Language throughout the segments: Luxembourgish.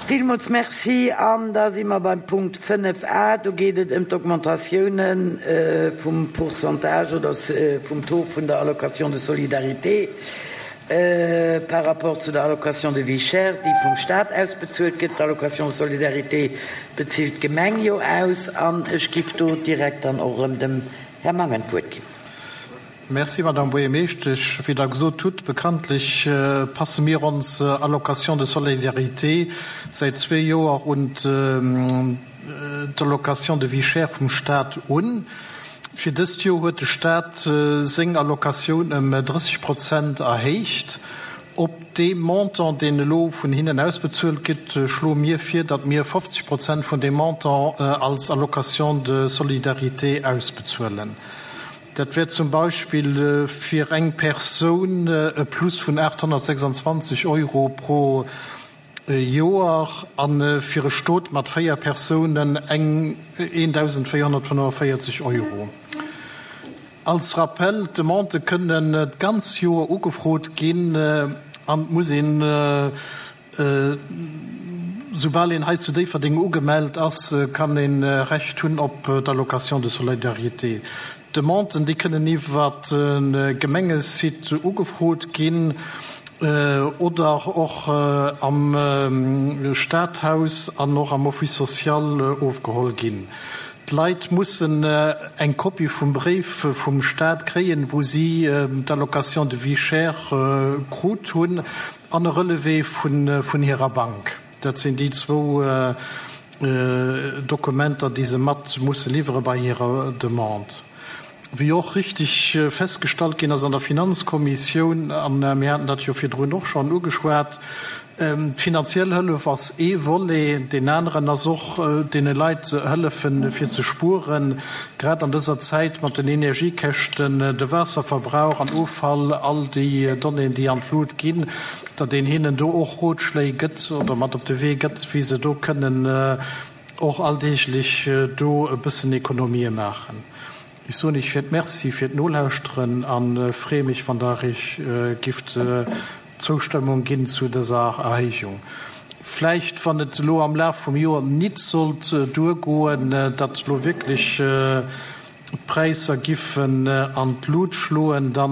Villmools Merci. An da si mer beim Punkt 5 a. Do geet et ëm d'Augmentatiounen vum Pourcentage oder vum Taux vun der Allocation de solidarité par rapport zu der Allocation de vie chère, déi vum Stat ausbezuelt gëtt. D'Allocation de solidarité bezilt d'Gemeng jo aus. An ech giff do direkt dann och erëm dem Här Mangen d'Wuert ginn. Merci, Madame Buergermeeschtesch. Wéi Der gesot hutt, bekanntlech passe mir ons Allocation de solidarité säit zwee Joer un d'Allocation de vie chère vum Stat un. Fir dëst Joer huet de Stat seng Allocatioun ëm 30 Prozent erhéicht. Op dee Montant, deen elo vun hinnen ausbezuelt gëtt, schloe mir vir, datt mir 50 Prozent vun deem Montant als Allocation de solidarité ausbezuelen. Dat wär zum Beispill fir eng Persoun e Plus vun 826 Euro pro Joer a fir e Stot mat 4 Persounen eng 1.445 Euro. Als Rappell, D'Demandë kënnen d'ganz Joer ugefrot ginn an et muss een, soubal een hei zu Déifferdeng ugemellt ass, kann ee Recht hunn op d'Allocation de solidarité. D'Demanden, déi kënnen iwwer de Gemengesite ugefrot ginn oder och am Stadhaus an och am Office social ofgeholl ginn. D'Leit mussen eng Kopie vum Bréif vum Staat kréien, wou si d'Allocation de vie chère krut hunn, an e Relevé vun hirer Bank. Dat sinn déi zwou Dokumenter, déi se mat musse liwwere bei hirer Demande. Wéi och richtig festgestallt ginn ass an der Finanzkommissioun, a mir haten dat jo virdrun och schonn ugeschwat, D'finanziell Hëllef ass ee Volet, deen aneren ass och deene Leit hëllefen, fir ze spueren, grad an dëser Zäit mat den Energiekäschten, de Waasserverbrauch an Offall, all déi Donnéeën, déi an d'Lut ginn, datt een hinnen do och Rotschléi gëtt oder mat op de Wee gëtt, wéi se do kënnen och alldeeglech do e bëssen Ekonomië maachen. Ech soen Iech fir d'Merci fir d'Nolauschteren a freeë mech, wann Der Iech gifft d'Zoustëmmung ginn zu dëser Erhéijung. Vläicht, wann et elo am Laf vum Joer nit sollt duergoen, datt elo wierklech d'Präisser giffen an d'Lut schloen, da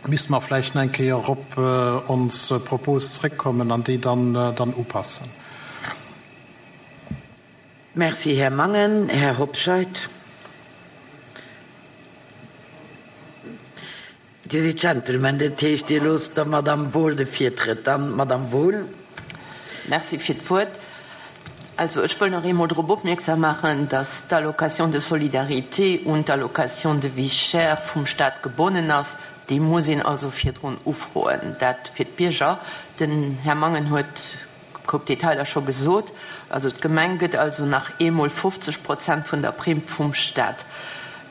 misste mer vläicht nach eng Kéier op ons Propos zréckkommen an déi dann upassen. Merci, Här Mangen. Här Hobscheit. Dir sidd Gentleman, dat heescht, Dir loosst der Madame Wohl de Virtrëtt. Dann d'Madame Wohl. Merci fir d'Wuert. Also, ech wëll nach eemol drop opmierksam maachen, dass d'Allocation de solidarité un d'Allocation de vie chère vum Stat gebonnen ass. Déi muss een also virdrun ufroen. Dat fir d'Bierger. Den Här Mangen huet Koup Detailer scho gesot. Also d'Gemeng gëtt also nach eemol 50 Prozent vun der Primm vum Stat.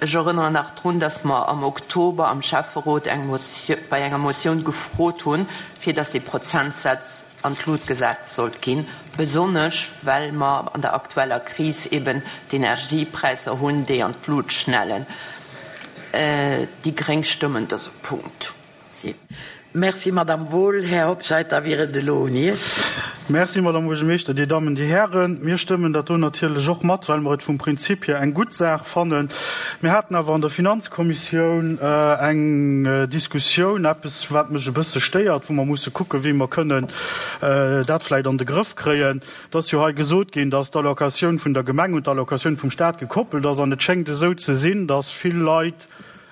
Ech erënneren nach drun, dass mer am Oktober am Schäfferot eng bei enger Motioun gefrot hunn, fir dass dee Prozentsaz an d'Lut gesat sollt ginn, besonnesch well mer an der aktueller Kris eben d'Energiepräisser hunn, déi an d'Lut schnellen. Déi gréng stëmmen dëse Punkt. Si. Merci, Madame Wohl. Här Hobscheit, da wier et elo un Iech. Merci, Madame Buergermeeschter. Dir Dammen, Dir Hären, mir stëmmen dat do natierlech och mat, well mer et vum Prinzip hier eng gutt Saach fannen. Mir haten awer an der Finanzkommissioun eng Diskussioun, eppes, wat mech e bësse stéiert, wou mer musse kucken, wéi mer kënnen dat vläicht an de Grëff kréien. Et ass jo hei gesot ginn, dass d'Allocatioun vun der Gemeng un d'Allocatioun vum Stat gekoppelt ass. An et schéngt esou ze sinn, dass vill Leit,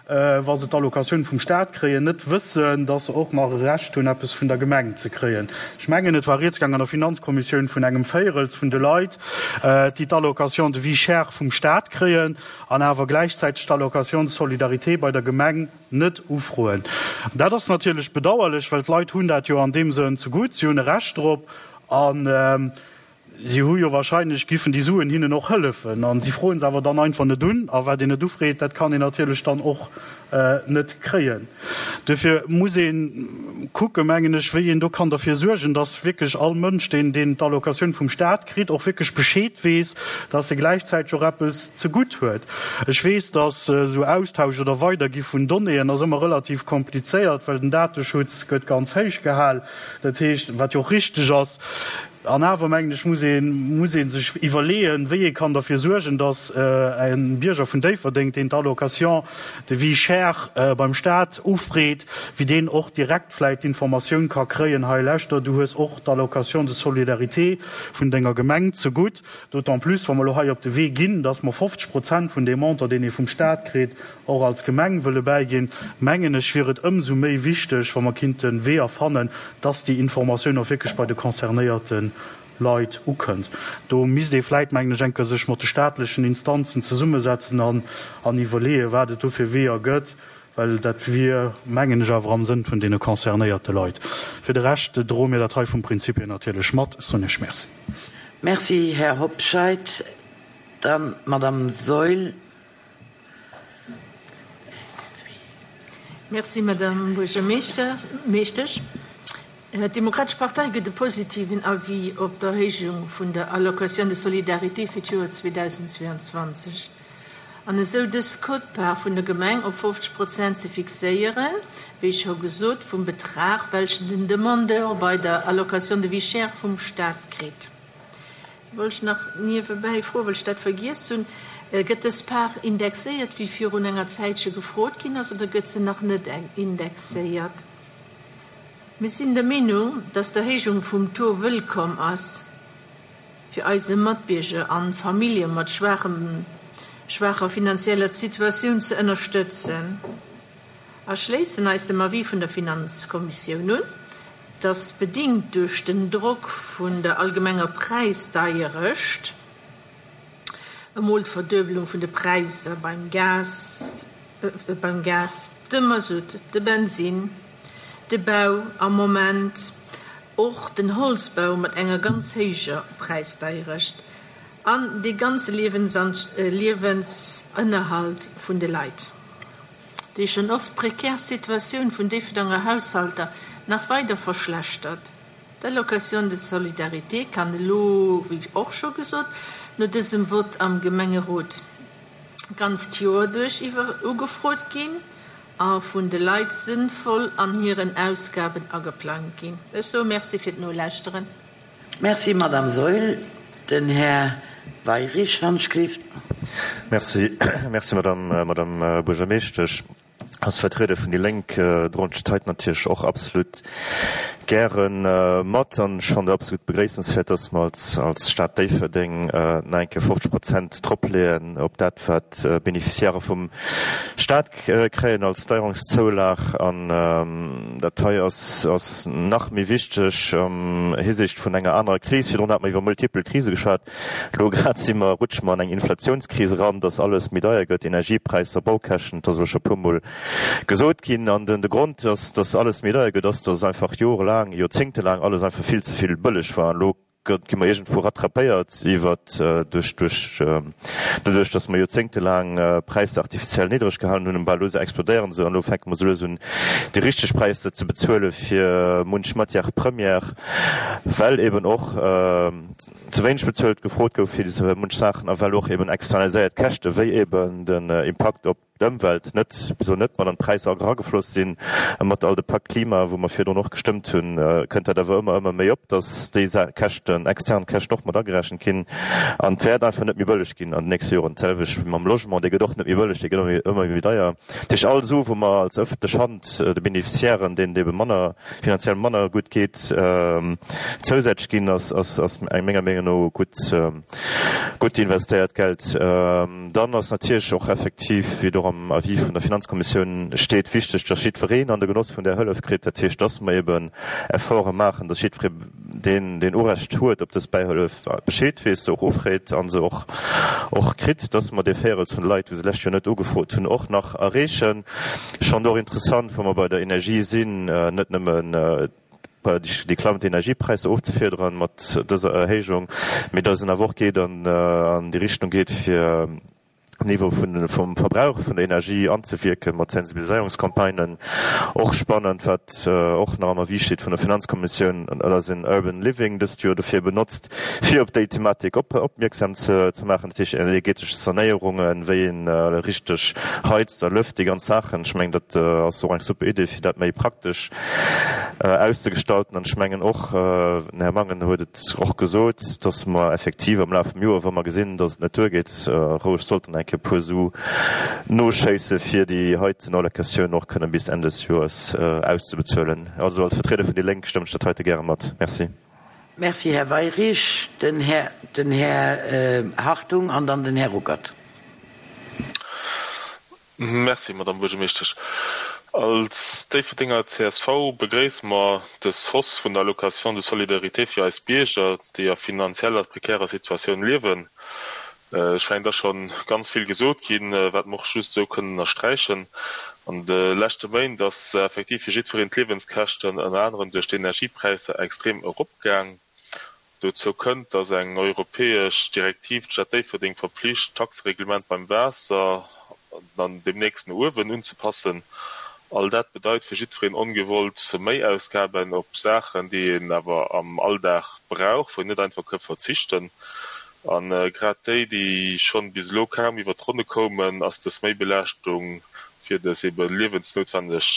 wa se d'Allocatioun vum Stat kréien, net wëssen, dass se och nach e Recht hunn, eppes vun der Gemeng ze kréien. Ech mengen, et war rieds gaang an der Finanzkommissioun vun engem Véirels vun de Leit, déi d'Allocation de vie chère vum Stat kréien an awer gläichzäiteg d'Allocation de solidarité bei der Gemeng net ufroen. Dat ass natierlech bedauerlech, well d'Leit hunn dat jo an deem Sënn zegutt, si hunn e Recht drop an, Si hu jo wahrscheinlech, giffen déi Suen hinnen och hëllefen, a si froen se awer dann einfach net un. A wat een net ufreet, dat kann een natierlech dann och net kréien. Duerfir muss ee kucken, mengen ech, wéi een do kann derfir suergen, dass wierklech all Mënsch, deen deen d'Allocatioun vum Stat kritt, och wierklech Bescheed weess, dass e gläichzäiteg och eppes zegutt huet. Ech weess, dass esou Austausch oder Weidergi vun Donnéeën ass ëmmer relativ komplizéiert, well den Dateschutz gëtt ganz héich gehal. Dat heescht, wat jo och richteg ass. An awer, mengen ech, muss ee muss ee sech iwwerleeën, wéi ee kann derfir suergen, datt e Bierger vun Déifferdeng, deen d'Allocation de vie chère beim Stat ufreet, wéi deen och direkt vläicht d'Informatioun ka kréien, Hei lauschter, du hues och d'Allocation de solidarité vun denger Gemeng zegutt. D'autant plus, wa mer elo hei op de Wee ginn, datt mer 50 Prozent vun deem Montant, deen ee vum Stat kritt, och als Gemeng wëlle bäiginn, mengen ech, wier et ëmsou méi wichteg, wa mer kinnte Weeër fannen, dass déi Informatioun och wierklech bei de concernéierte Leit ukënnt. Do misst ee vläit, mengen ech, eng Kéier sech mat de staatlechen Instanzen zesummesetzen an an iwwerleeën, wat et do fir Weeër gëtt, well dat wier, mengen ech, awer am Sënn vun deene concernéierte Leit. Fir de Rescht droe mir dat hei vum Prinzip hier natierlech mat. Ech soen Iech Merci. Merci, Här Hobscheit. Dann d'Madame Saeul. Merci, Madame Buergermeeschtesch. D'Demokratesch Partei gëtt e positiven Avis op d'Erhéijung vun der Allocation de solidarité fir d'Joer 2022 an esou dës Quote-part vun der Gemeng op 50 Prozent ze fixéieren, wéi scho gesot, vum Betrag, welchen den Demandeur bei der Allocation de vie chère vum Stat kritt. Wollt ech nach niewebäi froen, well ech dat vergiess hunn, Gëtt dës Part indexéiert, wéi virun enger Zäitche gefrot ginn ass, oder gëtt se nach net indexéiert? Mir sinn der Meenung, dass d'Erhéijung vum Taux wëllkomm ass fir eise Matbierger an Famillje mat schwaacher finanzieller Situatioun ze ënnerstëtzen. A schléissen eis dem Avis vun der Finanzkommissioun un, dass bedingt duerch den Drock vun der allgemenger Präisdeierecht, emol d'Verduebelung vun de Präisser beim Gas, beim Gas, dem Masutt, de Bensinn, de Bau am Moment och den Holzbau mat enger ganz héijer Präisdeierecht an dee ganze Liewensënnerhalt vun de Leit. Déi schonn oft prekär Situatioun vun Déifferdanger Haushalter nach weider verschlechtert. D'Allocation de solidarité kann elo, wéi och scho gesot, no dësem Vott am Gemengerot d'ganzt Joer duerch iwwer ugefrot ginn a vun de Leit sënnvoll an hiren Ausgaben ageplangt ginn. Ech soe Merci fir d'Nolauschteren. Merci, Madame Saeul. Den Här Weyrich, wann ech gleeft. Merci, merci, Madame, Madame Buergermeeschtesch. Als Vertrieder vun déi Lénk droen ech d'Heit natierlech och absolut gäre mat an ech fannen et absolut begréissenswäert, dass mer als, als Stad Déifferdeng nach eng Kéier 50 Prozent dropleeën op dat, wat d'Beneficiairë vum Stat kréien als Steierungszoulag an dat hei ass ass nach méi wichteg am Hisiicht vun enger anerer Kris. Virdrun hate mer iwwer multipel Krise geschwat. Elo grad si mer, rutsche mer an eng Inflatiounskris eran, dass alles méi deier gëtt, Energiepräisser, Baukäschten, et ass elo scho e puermol gesot ginn. An den de Grond, dass dass alles méi deier gëtt, ass, dass einfach jorelaang, joerzéngtelaang alles einfach vill ze vill bëlleg war. An elo gi mer iergendwou rattrapéiert iwwert duerch duerch doduerch datt mer joerzéngtelaang Präisser artificiell niddreg gehalen hunn, bal elo se explodéieren se an elo fänke mer sou lues un déi richteg Präisser ze bezuele fir munch Matière première, well eben och ze wéineg bezuelt gefrot gouf fir munch Saachen a well och eben externaliséiert Käschte wéi eben den Impakt op d'Ëmwelt net, wisou net mat an d'Präisser eragefloss sinn. Mat all de Pacte Klima, wou mer virdrun och gestëmmt hunn, kënnt dat awer ëmmer, ëmmer méi op, datt déi Käschten, extern Käschten och mat agerechent ginn. An et wäert einfach net méi bëlleg ginn an den nächste Joren. D'selwecht wéi mam Logement, dee gëtt och net méi bëlleg, dee gëtt ëmmer méi deier. Dat heescht, all Su wou mer als ëffentlech Hand de Beneficiairen, deenen et ebe manner, finanziell manner gutt geet, zousätzlech ginn, ass, ass, ass menger Meenung no gutt, gutt investéiert Geld. Dann ass natierlech och effektiv, wéi et och am Avis vun der Finanzkommissioun steet, wichteg, dass jiddwereen an de Genoss vun där Hëllef kritt. Dat heescht, dass mer eben Efforte maachen, dass jiddweree, deen, deen Urecht huet op dës Bäihëllef, Bescheed weess, se och ufreet a se och, och kritt, dass mer dee Véirels vun de Leit, wou se d'lescht Joer net ugefrot hunn, och nach erreechen. Ech fannen et och interessant, wa mer bei der Energie sinn, net nëmmen, déi klammend Energiepräisser ofzefiederen mat dëser Erhéijung, mee datt en awer och geet an déi Richtung geet, fir. Niveau vun vum Verbrauch vun der Energie anzewierken, mat Sensibiliséierungscampagnen. Och spannend, wat och nach am Avis steet vun der Finanzkommissioun, dat ass en Urban Living dëst Joer dofir benotzt, fir op déi Thematik op opmierksam ze ze maachen, dat heescht energetesch Sanéierungen, wéi een richteg heizt a lëft, déi ganz Saachen. Ech mengen, dat ass och eng super Idee, fir dat méi praktesch auszegestalten. An ech mengen och, den Här Mangen huet et och gesot, dass mer effektiv am Laf vum Joer, wa mer gesinn, dass et net duergeet, roueg sollten eng Kéier e puer Su noschéisse fir déi heiten Allocatioun och kënnen bis Enn des Joers auszebezuelen. Also als Vertrieder vun déi Lénk stëmmen ech dat heite gäre mat. Merci. Merci, Här Weyrich. Den Här, den Här Hartung an dann den Här Ruckert. Merci, Madamm Buergermeeschtesch. Als Déifferdenger csv begréisse mer dës Hausse vun der Allocation de solidarité fir eis Bierger, déi a finanzieller prekärer Situatioun liewen. Ech mengen, et ass scho ganz vill gesot ginn, wat mer och just esou kënnen ënnersträichen. An de leschte Méint ass effektiv fir jiddwereen d'Liewenskäschten, ënner anerem duerch d'Energiepräisser, extrem eropgaang. Dozou kënnt, datt eng europäesch Direktiv d'Stad Déifferdeng verpflicht, d'Taxereglement beim Waasser dann deemnächst no uewen unzepassen. All dat bedeit fir jiddwereen ongewollt Méiausgaben op Saachen, déi een awer am Alldag brauch, wou een net einfach ka verzichten. A grad déi, déi schonn bis elo kaum iwwer d'Ronne koumen, ass dës Méibelaaschtung fir dës ebe liewensnoutwenneg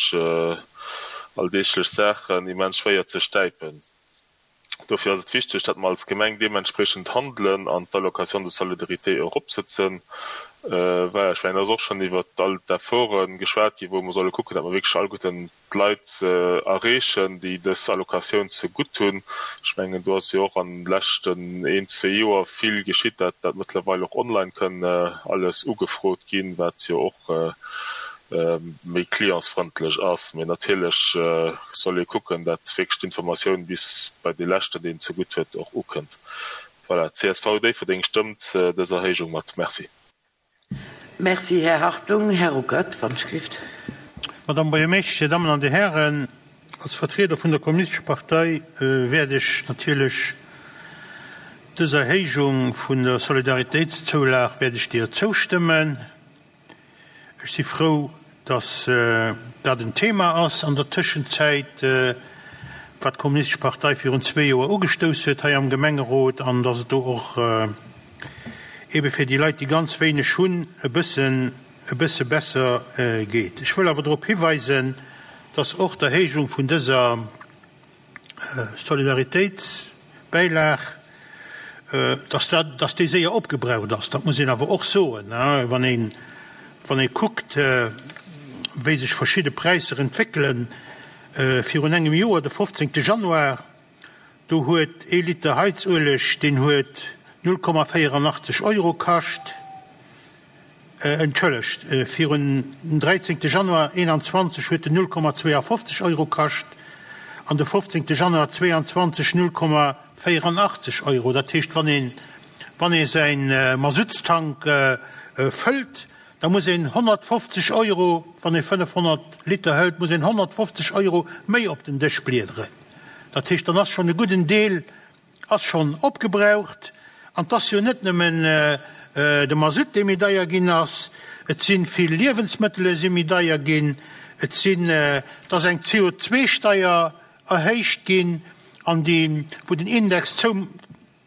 alldeeglech Saachen immens schwéier ze stäipen. Dofir ass et wichteg, datt mer als Gemeng deementspreechend handelen an d'Allocation de solidarité eropsetzen. Voilà, ech mengen, et ass och schonn iwwert all d'Efforte geschwat ginn, wou mer solle kucken, datt mer wierklech alleguerten d'Leit erreechen, déi dës Allocatioun zegutt hunn. Ech mengen, do ass jo och an de leschten een, zwee Joer vill geschitt, datt dat mëttlerweil och online kënn alles ugefrot ginn, wat jo och méi clientsfrëndlech ass. Mee natierlech soll ee kucken, datt wierklech d'Informatioun bis bei dee Leschten, deen et zegutt huet, och ukënnt. Voilà, csv Déifferdeng stëmmt dës Erhéijung mat. Merci. Merci, Här Hartung. Här Ruckert, wann ech gelift. Madame Buergermeeschtesch, Dir Dammen an Dir Hären, als Vertrieder vun der Kommunistescher Partei wäert ech natierlech dës Erhéijung vun der Solidaritéitszoulag wäert ech deeër zoustëmmen. Ech si frou, dass dat en Thema ass an der Tëschenzäit, wat d'Kommunistesch Partei virun zwee Joer ugestouss huet hei am Gemengerot, an dass et do och eebe fir déi Leit, déi ganz wéineg hunn, e bëssen, e bësse besser geet. Ech wëll awer drop hiweisen, dass och d'Erhéijung vun dëser Solidaritéitsbäilag, dass dat, dass déi séier opgebraucht ass, dat muss een awer och soen, wann een, wann ee kuckt, wéi sech verschidde Präisser entwéckelen. Virun engem Joer, de 15. Januar, do huet ee Liter Heizueleg, deen huet 0,84 Euro kascht. Entschëllegt, virun den 13 Januar 21 huet en 0,52 Euro kascht an de 15 Januar 22 0,84 Euro. Dat heescht, wann een, wann ee säi Masuttstank fëllt, da muss een 150 Euro, wann ee 500 Liter hëlt, muss een 150 Euro méi op den Dësch bliederen. Dat heescht, dann ass schonn e gudden Deel Ass schonn opgebraucht. An 't ass jo net nëmmen de Masutt, dee méi deier ginn ass, et si vill Liewensmëttele si méi deier ginn, et sinn, et ass eng CO2-Steier erhéicht ginn, an déi, wou den Index zou,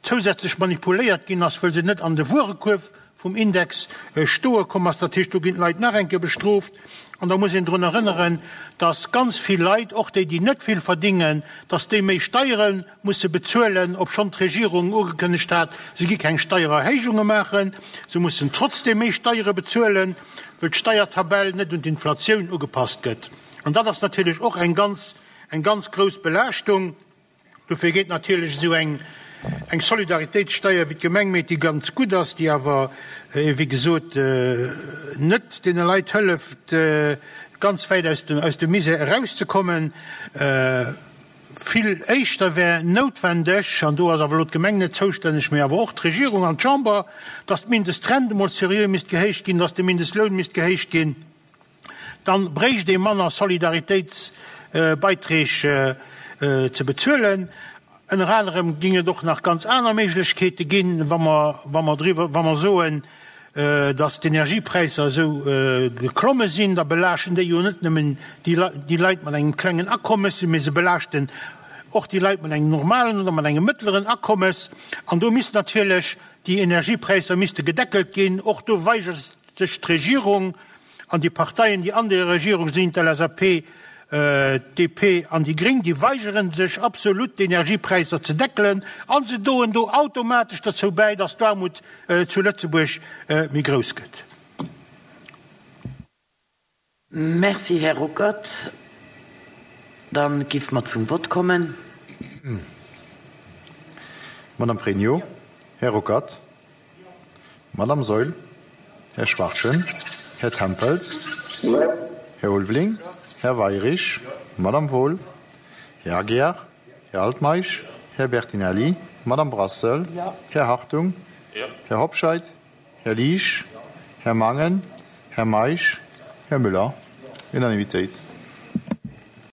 zousätzlech manipuléiert ginn ass, wëll se net an de Wuerekuerf vum Index stoe komm ass. Dat heescht, do ginn d'Leit nach eng Kéier bestrooft. An da muss een drun erënneren, dass ganz vill Leit, och déi, déi net vill verdingen, dass déi méi Steiere musse bezuelen, obschonn d'Regierung ugekënnegt hat, se gi keng Steiererhéijunge maachen. Se mussen trotzdeem méi Steiere bezuelen, wëll d'Steiertabell net un d'Inflatioun ugepasst gëtt. An dat ass natierlech och eng ganz, eng ganz grouss Belaaschtung. Dofir geet natierlech esou eng Solidaritéitssteier, wéi d'Gemeng meet, déi ganz gutt ass, déi awer, wéi gesot, net deene Leit hëlleft, ganz wäit aus dem Misär erauszekommen. Vill éischter wär noutwendeg, an do ass awer elo d'Gemeng net zoustänneg, mee awer och d'Regierung an d'Chamber, datt d'Mindestrent emol seriö misst gehéicht ginn, datt de Mindestloun misst gehéicht ginn. Dann bréicht ee manner Solidaritéitsbeiträg ze bezuelen. Ënner anerem géing et och nach ganz aner Méiglechkeete ginn, wa mer, wa mer driwwer, wa mer soen. dass d'Energiepräisser esou geklomme sinn, da belaaschten déi jo net nëmmen déi Leit mat engem klengen Akommes, mee se belaaschten och déi Leit mat engem normalen oder mat engem mëttleren Akommes. An do misst natierlech déi Energiepräisser misste gedeckelt ginn. Och do weigert sech d'Regierung an déi Parteien, déi an der Regierung sinn, d'LSAP, d'DP an déi Gréng, déi weigere sech absolut d'Energiepräisser ze deckelen a se doen do automatesch derzou bäi, dass d'Aarmut zu Lëtzebuerg méi grouss gëtt. Merci, Här Ruckert. Da giff mer zum Vott kommen. Madame Pregno, Här Ruckert. Madame Saeul, Här Schwachtgen, Här Tempels, Här Ulveling, Här Weirich, Madame Wohl, Här Aguiar, Här Altmeisch, Här Bertinelli, Madame Brassel, Här Hartung, Här Hobscheit, Här Liesch, Här Mangen, Här Meisch, Här Müller. Unanimitéit.